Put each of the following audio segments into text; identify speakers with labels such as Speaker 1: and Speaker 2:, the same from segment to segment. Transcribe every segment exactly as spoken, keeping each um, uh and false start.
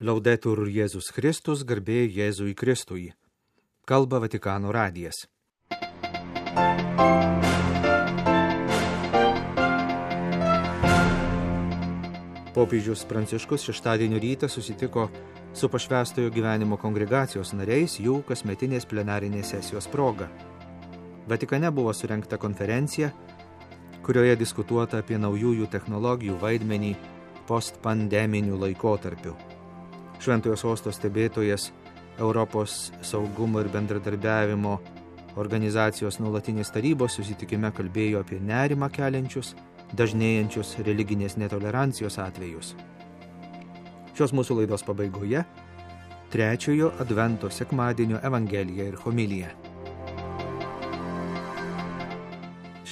Speaker 1: Laudetur Jėzus Kristus, garbė Jėzui Kristui. Kalba Vatikano radijas. Popiežius Pranciškus šeštadienio rytą susitiko su pašvęstojo gyvenimo kongregacijos nariais jų kasmetinės plenarinės sesijos proga. Vatikane buvo surengta konferencija, kurioje diskutuota apie naujųjų technologijų vaidmenį postpandeminiu laikotarpiu. Šventojo sosto stebėtojas Europos saugumo ir bendradarbiavimo organizacijos nuolatinės tarybos susitikime kalbėjo apie nerimą keliančius, dažnėjančius religinės netolerancijos atvejus. Šios mūsų laidos pabaigoje trečiojo advento sekmadienio evangelija ir homilija.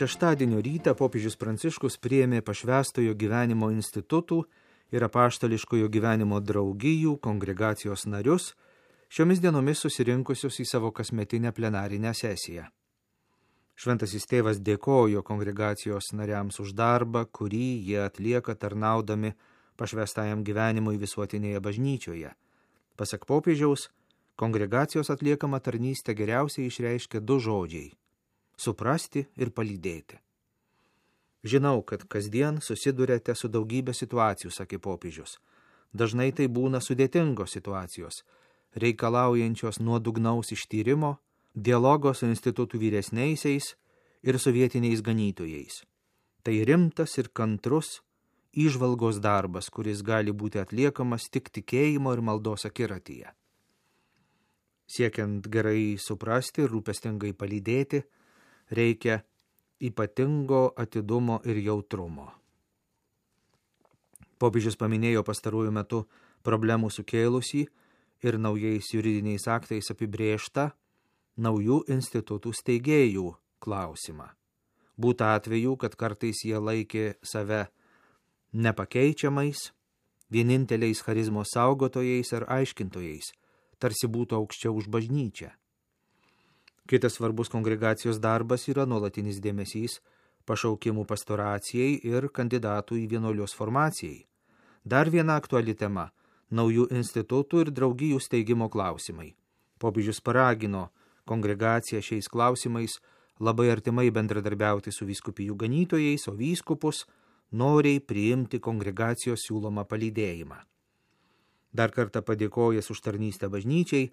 Speaker 1: Šeštadienio rytą popiežius Pranciškus priėmė pašvęstojo gyvenimo institutų ir apaštališkojo gyvenimo draugijų kongregacijos narius, šiomis dienomis susirinkusius į savo kasmetinę plenarinę sesiją. Šventasis tėvas dėkojo kongregacijos nariams už darbą, kurį jie atlieka tarnaudami pašvęstajam gyvenimui visuotinėje bažnyčioje. Pasak popiežiaus, kongregacijos atliekama tarnystė geriausiai išreiškia du žodžiai – suprasti ir palydėti. Žinau, kad kasdien susiduriate su daugybė situacijų, sakė popiežius. Dažnai tai būna sudėtingos situacijos, reikalaujančios nuodugnaus ištyrimo, dialogo su institutų vyresniaisiais ir su vietiniais ganytojais. Tai rimtas ir kantrus įžvalgos darbas, kuris gali būti atliekamas tik tikėjimo ir maldos akiratyje. Siekiant gerai suprasti ir rūpestingai palydėti, reikia ypatingo atidumo ir jautrumo. Popiežius paminėjo pastaruoju metu problemų sukėlusį ir naujais juridiniais aktais apibrėžtą naujų institutų steigėjų klausimą. Būta atvejų, kad kartais jie laikė save nepakeičiamais, vieninteliais charizmos saugotojais ar aiškintojais, tarsi būtų aukščiau už bažnyčią. Kitas svarbus kongregacijos darbas yra nuolatinis dėmesys pašaukimų pastoracijai ir kandidatų į vienuolijos formacijai. Dar viena aktuali tema – naujų institutų ir draugijų steigimo klausimai. Popiežius paragino kongregaciją šiais klausimais labai artimai bendradarbiauti su vyskupijų ganytojais, o vyskupus noriai priimti kongregacijos siūlomą palydėjimą. Dar kartą padėkojęs už tarnystę bažnyčiai,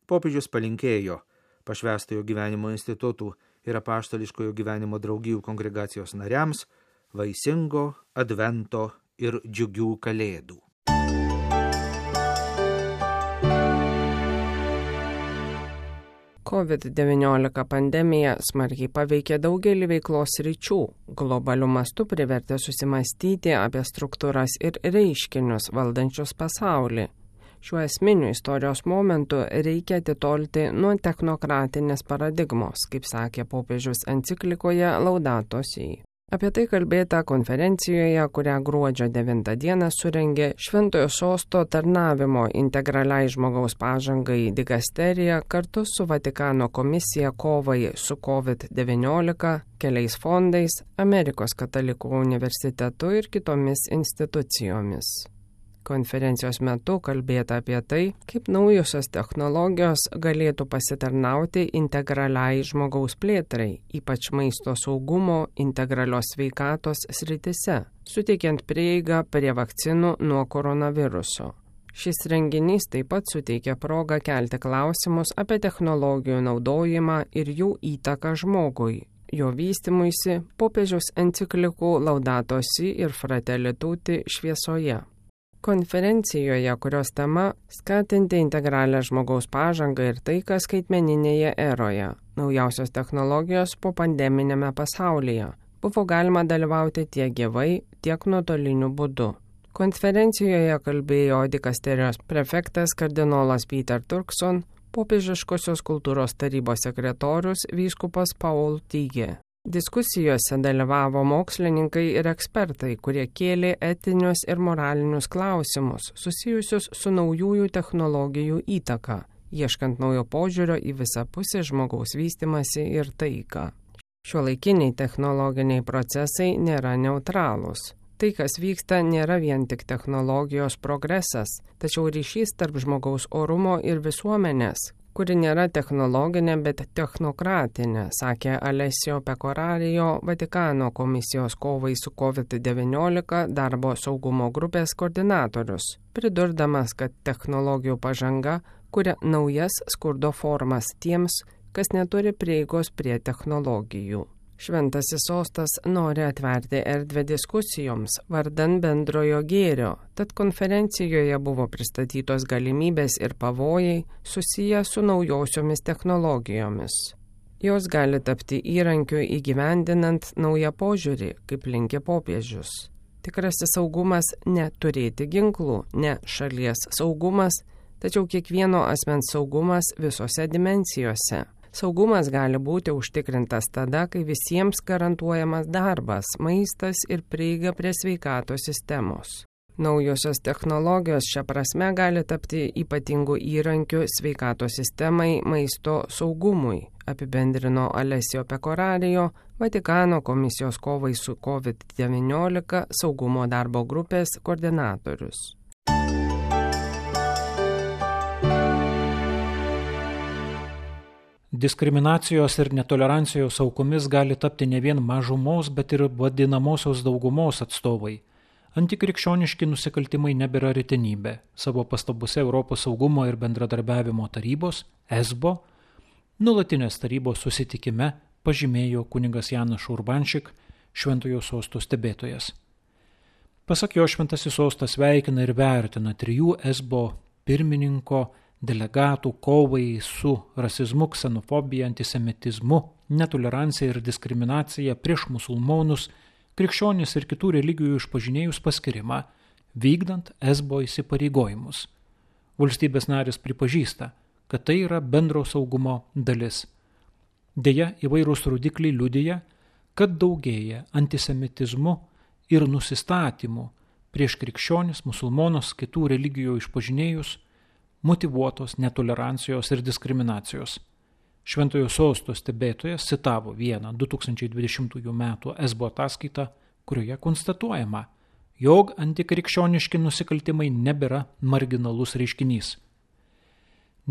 Speaker 1: popiežius palinkėjo pašvęstojo gyvenimo institutų ir apaštališkojo gyvenimo draugijų kongregacijos nariams vaisingo advento ir džiugių kalėdų.
Speaker 2: covid devyniolika pandemija smarkiai paveikė daugelį veiklos sričių, globaliu mastu privertė susimastyti apie struktūras ir reiškinius valdančius pasaulį. Šiuo esminiu istorijos momentu reikia atitolti nuo technokratinės paradigmos, kaip sakė popiežius enciklikoje Laudato Si. Apie tai kalbėta konferencijoje, kurią gruodžio devintą dieną surengė Šventojo sosto tarnavimo integraliai žmogaus pažangai digasterija kartu su Vatikano komisija kovai su covid devyniolika, keliais fondais, Amerikos katalikų universitetu ir kitomis institucijomis. Konferencijos metu kalbėta apie tai, kaip naujosios technologijos galėtų pasitarnauti integraliai žmogaus plėtrai, ypač maisto saugumo, integralios sveikatos sritise, suteikiant prieigą prie vakcinų nuo koronaviruso. Šis renginys taip pat suteikia progą kelti klausimus apie technologijų naudojimą ir jų įtaką žmogui, jo vystymuisi popiežiaus enciklikų Laudato Si ir Fratelli Tutti šviesoje. Konferencijoje, kurios tema skatinti integralią žmogaus pažangą ir taiką skaitmeninėje eroje, naujausios technologijos po pandeminėme pasaulyje, buvo galima dalyvauti tiek gyvai, tiek nuotoliniu būdu. Konferencijoje kalbėjo dikasterijos prefektas kardinolas Peter Turkson, popiežiškosios kultūros tarybos sekretorius vyskupas Paul Tigė. Diskusijose dalyvavo mokslininkai ir ekspertai, kurie kėlė etinius ir moralinius klausimus susijusius su naujųjų technologijų įtaka, ieškant naujo požiūrio į visapusį žmogaus vystymąsi ir taiką. Šiuolaikiniai technologiniai procesai nėra neutralūs. Tai, kas vyksta, nėra vien tik technologijos progresas, tačiau ryšys tarp žmogaus orumo ir visuomenės, kuri nėra technologinė, bet technokratinė, sakė Alessio Pecoraro, Vatikano komisijos kovai su kovid devyniolika darbo saugumo grupės koordinatorius, pridurdamas, kad technologijų pažanga kuria naujas skurdo formas tiems, kas neturi prieigos prie technologijų. Šventasis sostas nori atverti erdvę diskusijoms vardan bendrojo gėrio, tad konferencijoje buvo pristatytos galimybės ir pavojai susiję su naujosiomis technologijomis. Jos gali tapti įrankiu įgyvendinant naują požiūrį, kaip linkė popiežius. Tikrasis saugumas ne turėti ginklų, ne šalies saugumas, tačiau kiekvieno asmens saugumas visose dimensijose. Saugumas gali būti užtikrintas tada, kai visiems garantuojamas darbas, maistas ir prieiga prie sveikatos sistemos. Naujosios technologijos šia prasme gali tapti ypatingų įrankių sveikatos sistemai, maisto saugumui, apibendrino Alessio Pecoraro, Vatikano komisijos kovai su kovid devyniolika saugumo darbo grupės koordinatorius.
Speaker 3: Diskriminacijos ir netolerancijos aukomis gali tapti ne vien mažumos, bet ir vadinamosios daugumos atstovai. Antikrikščioniški nusikaltimai nebėra retenybė. Savo pastabose Europos saugumo ir bendradarbiavimo tarybos, E S B O, nuolatinės tarybos susitikime pažymėjo kunigas Janas Urbanšik, Šventojo sosto stebėtojas. Pasak jo, Šventasis sostas sveikina ir vertina trijų E S B O pirmininko delegatų kovai su rasizmu, ksenofobija, antisemitizmu, netolerancija ir diskriminacija prieš musulmonus, krikščionis ir kitų religijų išpažinėjus paskirimą, vykdant E S B O įsipareigojimus. Valstybės narės pripažįsta, kad tai yra bendro saugumo dalis. Deja, įvairūs rodikliai liudija, kad daugėja antisemitizmu ir nusistatymu prieš krikščionis, musulmonus, kitų religijų išpažinėjus, motyvuotos netolerancijos ir diskriminacijos. Šventojo sosto stebėtojas citavo vieną du tūkstančiai dvidešimtųjų metų E S B O ataskaitą, kurioje konstatuojama, jog antikrikščioniški nusikaltimai nebėra marginalus reiškinys.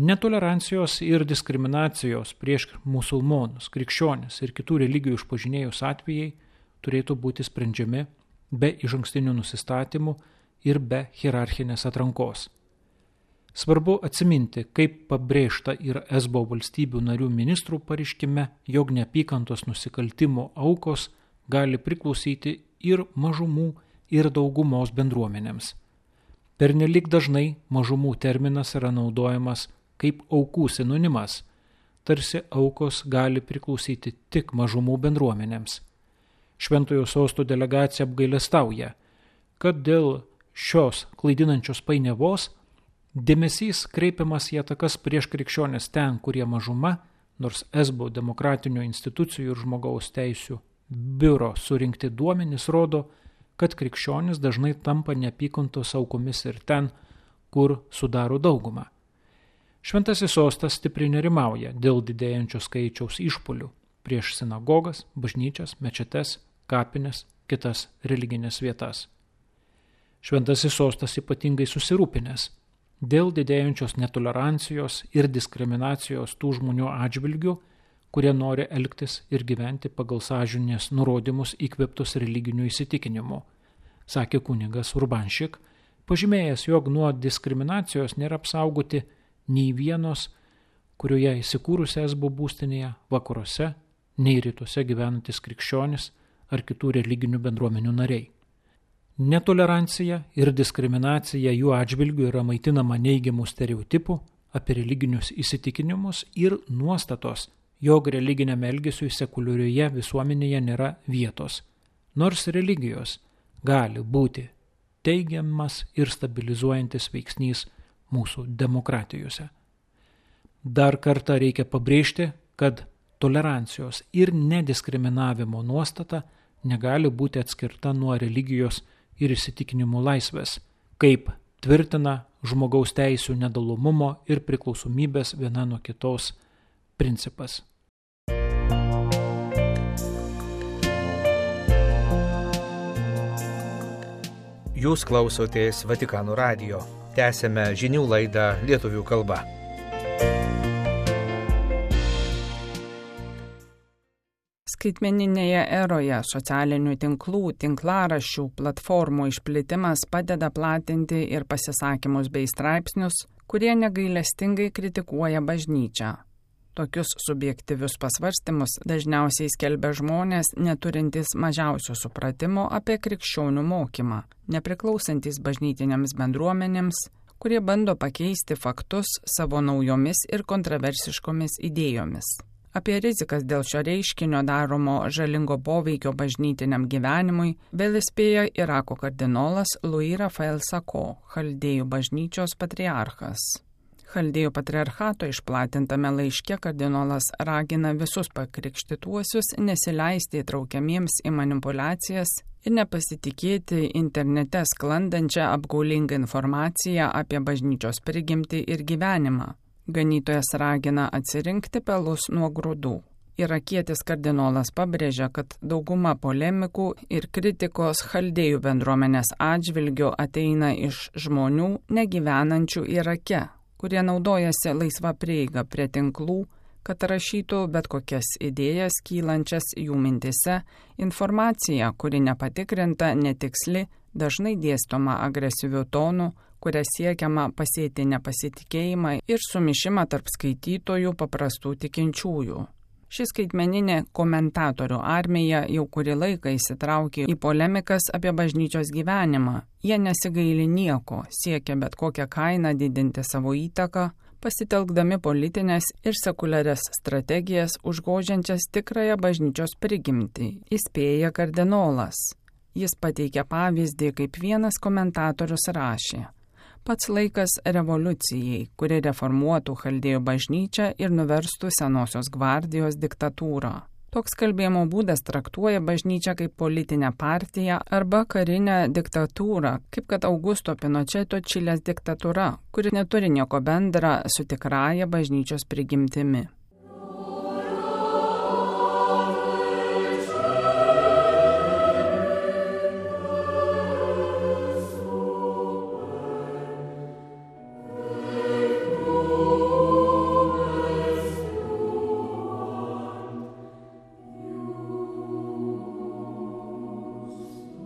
Speaker 3: Netolerancijos ir diskriminacijos prieš musulmonus, krikščionis ir kitų religijų išpažinėjus atvejai turėtų būti sprendžiami be išankstinių nusistatymų ir be hierarchinės atrankos. Svarbu atsiminti, kaip pabrėžta ir E S B O valstybių narių ministrų pareiškime, jog neapykantos nusikaltimų aukos gali priklausyti ir mažumų, ir daugumos bendruomenėms. Pernelyg dažnai mažumų terminas yra naudojamas kaip aukų sinonimas, tarsi aukos gali priklausyti tik mažumų bendruomenėms. Šventojo sosto delegacija apgailestauja, kad dėl šios klaidinančios painiavos dėmesys kreipiamas į atakas prieš krikščionis ten, kurie mažuma, nors E S B O demokratinių institucijų ir žmogaus teisių biuro surinkti duomenys rodo, kad krikščionis dažnai tampa neapykantos aukomis ir ten, kur sudaro daugumą. Šventasis sostas stipriai nerimauja dėl didėjančio skaičiaus išpuolių prieš sinagogas, bažnyčias, mečetes, kapines, kitas religinės vietas. Šventasis sostas ypatingai susirūpinęs dėl didėjančios netolerancijos ir diskriminacijos tų žmonių atžvilgių, kurie nori elgtis ir gyventi pagal sąžinės nurodymus įkvėptus religinių įsitikinimų, sakė kunigas Urbanšik, pažymėjęs, jog nuo diskriminacijos nėra apsaugoti nei vienos, kurioje įsikūrusi E S B O būstinėje, vakaruose, nei rytuose gyvenantis krikščionis ar kitų religinių bendruomenių nariai. Netolerancija ir diskriminacija jų atžvilgių yra maitinama neigiamų stereotipų apie religinius įsitikinimus ir nuostatos, jog religiniam elgesiui sekuliarioje visuomenėje nėra vietos, nors religijos gali būti teigiamas ir stabilizuojantis veiksnys mūsų demokratijose. Dar kartą reikia pabrėžti, kad tolerancijos ir nediskriminavimo nuostata negali būti atskirta nuo religijos ir įsitikinimų laisvės, kaip tvirtina žmogaus teisių nedalomumo ir priklausomybės viena nuo kitos principas.
Speaker 1: Jūs klausotės Vatikano radijo. Tęsėme žinių laidą lietuvių kalba.
Speaker 2: Skaitmeninėje eroje socialinių tinklų, tinklaraščių, platformų išplitimas padeda platinti ir pasisakymus bei straipsnius, kurie negailestingai kritikuoja bažnyčią. Tokius subjektyvius pasvarstymus dažniausiai skelbia žmonės, neturintys mažiausio supratimo apie krikščionių mokymą, nepriklausantis bažnytinėms bendruomenėms, kurie bando pakeisti faktus savo naujomis ir kontroversiškomis idėjomis. Apie rizikas dėl šio reiškinio daromo žalingo poveikio bažnytiniam gyvenimui vėl įspėja Irako kardinolas Louis Raphael Sako, Chaldėjų bažnyčios patriarchas. Chaldėjų patriarchato išplatintame laiške kardinolas ragina visus pakrikštytuosius nesileisti įtraukiamiems į manipulacijas ir nepasitikėti internete sklandančią apgaulingą informaciją apie bažnyčios prigimtį ir gyvenimą. Ganytojas ragina atsirinkti pelus nuo grūdų. Irakietis kardinolas pabrėžia, kad dauguma polemikų ir kritikos chaldėjų bendruomenės atžvilgiu ateina iš žmonių negyvenančių Irake, kurie naudojasi laisva prieiga prie tinklų, kad rašytų bet kokias idėjas kylančias jų mintise, informacija, kuri nepatikrinta, netiksli, dažnai dėstoma agresyvių tonų, kuria siekiama pasėti nepasitikėjimą ir sumišimą tarp skaitytojų paprastų tikinčiųjų. Ši skaitmeninė komentatorių armija jau kurį laiką įsitraukė į polemikas apie bažnyčios gyvenimą. Jie nesigaili nieko, siekia bet kokią kainą didinti savo įtaką, pasitelkdami politinės ir sekuliarias strategijas užgožiančias tikrąją bažnyčios prigimtį, įspėja kardinolas. Jis pateikia pavyzdį, kaip vienas komentatorius rašė: pats laikas revoliucijai, kuri reformuotų Chaldėjų bažnyčią ir nuverstų senosios gvardijos diktatūrą. Toks kalbėjimo būdas traktuoja bažnyčią kaip politinę partiją arba karinę diktatūrą, kaip kad Augusto Pinocheto Čilės diktatūra, kuri neturi nieko bendra su tikrąja bažnyčios prigimtimi.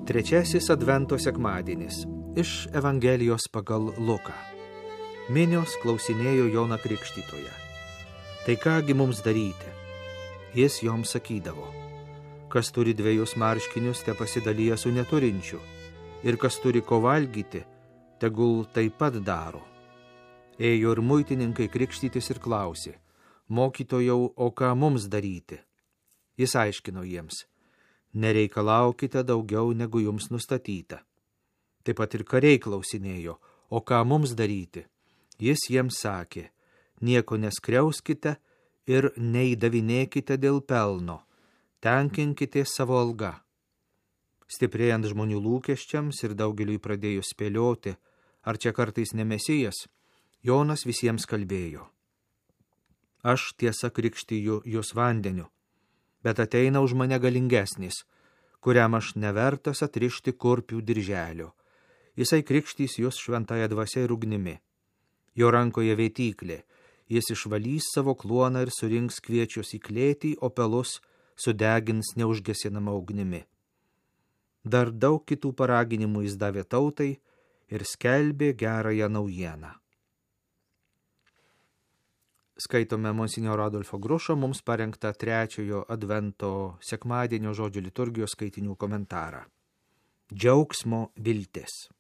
Speaker 1: Trečiasis Advento sekmadienis iš Evangelijos pagal Luką. Minios klausinėjo Joną Krikštytoją: tai kągi mums daryti? Jis joms sakydavo: kas turi dviejus marškinius, te pasidalyja su neturinčiu, ir kas turi ko valgyti, tegul taip pat daro. Ėjo ir muitininkai krikštytis ir klausė: mokytojau, o ką mums daryti? Jis aiškino jiems: nereikalaukite daugiau, negu jums nustatyta. Taip pat ir kariai klausinėjo: o ką mums daryti? Jis jiems sakė: nieko neskriauskite ir neįdavinėkite dėl pelno, tenkinkite savo algą. Stiprėjant žmonių lūkesčiams ir daugeliui pradėjus spėlioti, ar čia kartais ne Mesijas, Jonas visiems kalbėjo: aš tiesa krikštiju jūs vandeniu, bet ateina už mane galingesnis, kuriam aš nevertas atrišti kurpių dirželio. Jisai krikštys jūs šventąją dvasia ir ugnimi. Jo rankoje vėtyklė, jis išvalys savo kluoną ir surinks kviečius į klėtį, o pelus sudegins neužgesinama ugnimi. Dar daug kitų paraginimų jis davė tautai ir skelbė gerąją naujieną. Skaitome monsinjoro Adolfo Grušo mums parengtą trečiojo Advento sekmadienio žodžių liturgijos skaitinių komentarą. Džiaugsmo viltis.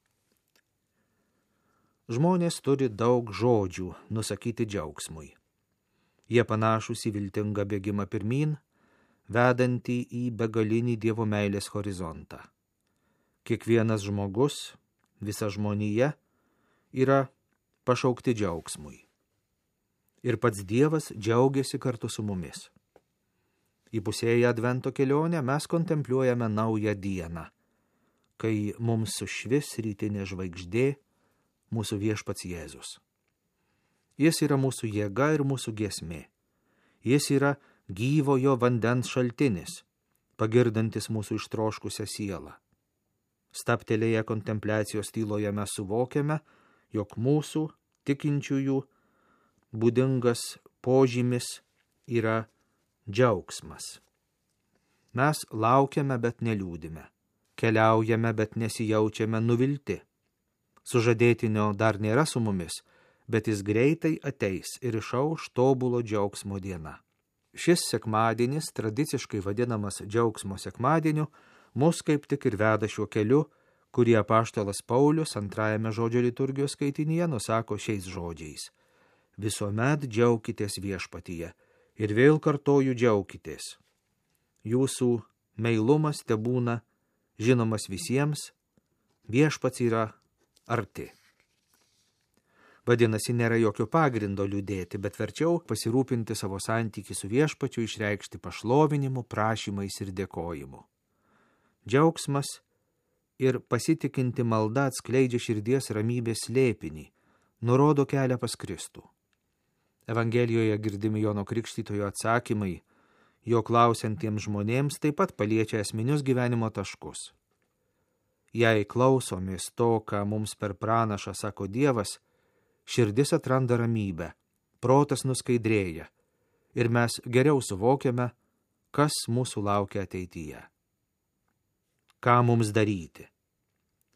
Speaker 1: Žmonės turi daug žodžių nusakyti džiaugsmui. Jie panašūs į viltingą bėgimą pirmyn, vedantį į begalinį Dievo meilės horizontą. Kiekvienas žmogus, visa žmonija yra pašaukti džiaugsmui. Ir pats Dievas džiaugiasi kartu su mumis. Įpusėję Advento kelionę mes kontempliuojame naują dieną, kai mums sušvis rytinė žvaigždė, mūsų viešpats Jėzus. Jis yra mūsų jėga ir mūsų giesmė. Jis yra gyvojo vandens šaltinis, pagirdantis mūsų ištroškusią sielą. Staptelėję kontempliacijos tyloje mes suvokiame, jog mūsų tikinčiųjų būdingas požymis yra džiaugsmas. Mes laukiame, bet neliūdime. Keliaujame, bet nesijaučiame nuvilti. Sužadėtinio dar nėra su mumis, bet jis greitai ateis ir išauš tobulo džiaugsmo diena. Šis sekmadienis, tradiciškai vadinamas džiaugsmo sekmadieniu, mus kaip tik ir veda šiuo keliu, kurį apaštalas Paulius antrajame žodžio liturgijos skaitinyje nusako šiais žodžiais. Visuomet džiaukitės viešpatyje ir vėl kartoju džiaukitės. Jūsų meilumas tebūna žinomas visiems, viešpats yra arti. Vadinasi, nėra jokio pagrindo liūdėti, bet verčiau pasirūpinti savo santykį su viešpačiu, išreikšti pašlovinimu, prašymais ir dėkojimu. Džiaugsmas ir pasitikinti malda atskleidžia širdies ramybės slėpinį, nurodo kelią pas Kristų. Evangelijoje girdimi Jono Krikštytojo atsakymai, jo klausiantiems žmonėms taip pat paliečia esminius gyvenimo taškus. Jei klausomės to, ką mums per pranašą sako Dievas, širdis atranda ramybę, protas nuskaidrėja ir mes geriau suvokiame, kas mūsų laukia ateityje. Ką mums daryti?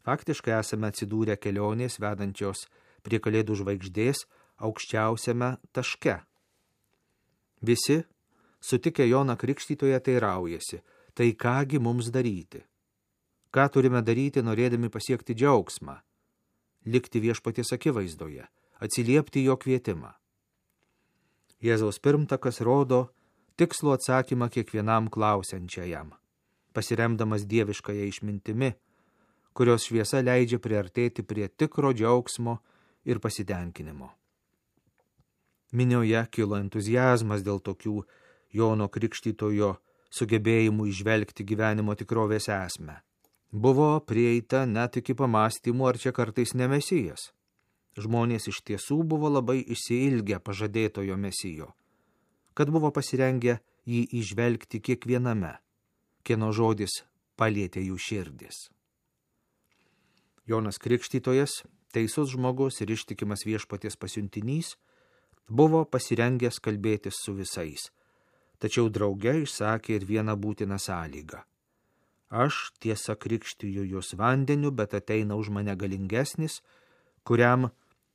Speaker 1: Faktiškai esame atsidūrę kelionės vedančios prie Kalėdų žvaigždės aukščiausiame taške. Visi, sutikę Joną Krikštytoją, teiraujasi, tai kągi mums daryti? Ką turime daryti, norėdami pasiekti džiaugsmą? Likti viešpaties akivaizdoje, atsiliepti jo kvietimą. Jėzaus pirmtakas rodo tikslų atsakymą kiekvienam klausiančiajam, pasiremdamas dieviškąją išmintimi, kurios šviesa leidžia priartėti prie tikro džiaugsmo ir pasitenkinimo. Minioje kilo entuziazmas dėl tokių Jono Krikštytojo sugebėjimų įžvelgti gyvenimo tikrovės esmę. Buvo prieita net iki pamastymų, ar čia kartais ne Mesijas. Žmonės iš tiesų buvo labai išsiilgę pažadėtojo Mesijo, kad buvo pasirengę jį įžvelgti kiekviename, kieno žodis palietė jų širdis. Jonas Krikštytojas, teisus žmogus ir ištikimas viešpaties pasiuntinys, buvo pasirengęs kalbėtis su visais, tačiau drauge išsakė ir vieną būtiną sąlygą. Aš tiesa krikštiju jūs vandeniu, bet ateina už mane galingesnis, kuriam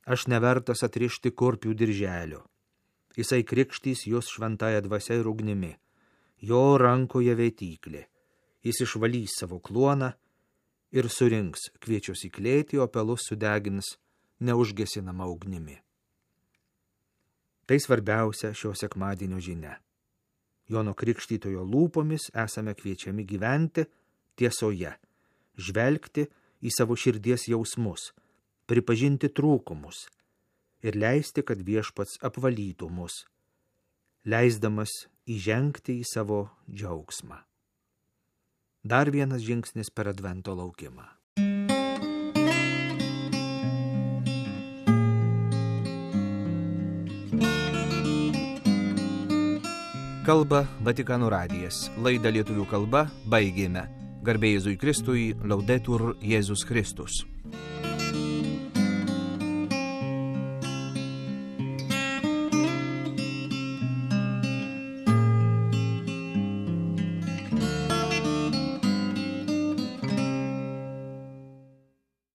Speaker 1: aš nevertas atrišti kurpių dirželio. Jisai krikštys jūs šventąją dvasia ir ugnimi, jo rankoje vėtyklė, jis išvalys savo kluoną ir surinks kviečius į klėtį, o pelus sudegins neužgesinama ugnimi. Tai svarbiausia šio sekmadienio žinia. Jono Krikštytojo lūpomis esame kviečiami gyventi tiesoje, žvelgti į savo širdies jausmus, pripažinti trūkumus ir leisti, kad viešpats apvalytų mus, leisdamas įžengti į savo džiaugsmą. Dar vienas žingsnis per advento laukimą. Kalba Vatikano radijas. Laidą lietuvių kalba baigėme. Garbė Jėzui Kristui, Laudetur Jėzus Kristus.